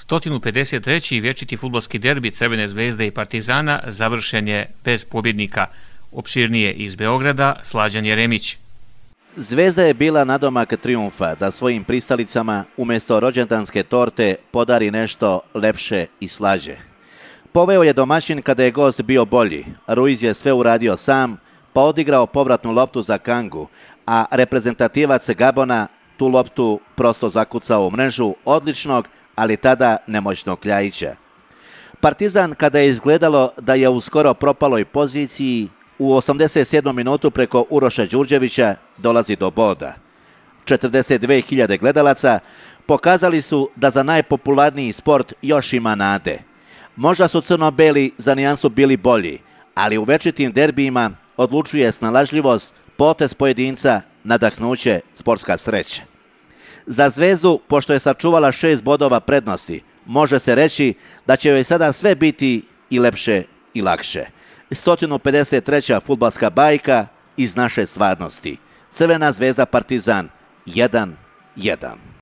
153. vječiti fudbalski derbi Crvene zvezde i Partizana završen je bez pobjednika. Opširnije iz Beograda, Slađan Jeremić. Zvezda je bila nadomak trijumfa da svojim pristalicama umjesto rođendanske torte podari nešto lepše i slađe. Poveo je domaćin kada je gost bio bolji. Ruiz je sve uradio sam, pa odigrao povratnu loptu za Kangu, a reprezentativac Gabona tu loptu prosto zakucao u mrežu odličnog, ali tada nemoćnog Kljajića. Partizan, kada je izgledalo da je u skoro propaloj poziciji, u 87. minutu preko Uroša Đurđevića dolazi do boda. 42.000 gledalaca pokazali su da za najpopularniji sport još ima nade. Možda su crno-beli za nijansu bili bolji, ali u večitim derbijima odlučuje snalažljivost, potez pojedinca, nadahnuće, sportska sreća. Za Zvezdu, pošto je sačuvala 6 bodova prednosti, može se reći da će joj sada sve biti i lepše i lakše. 153. fudbalska bajka iz naše stvarnosti. Crvena zvezda Partizan 1-1.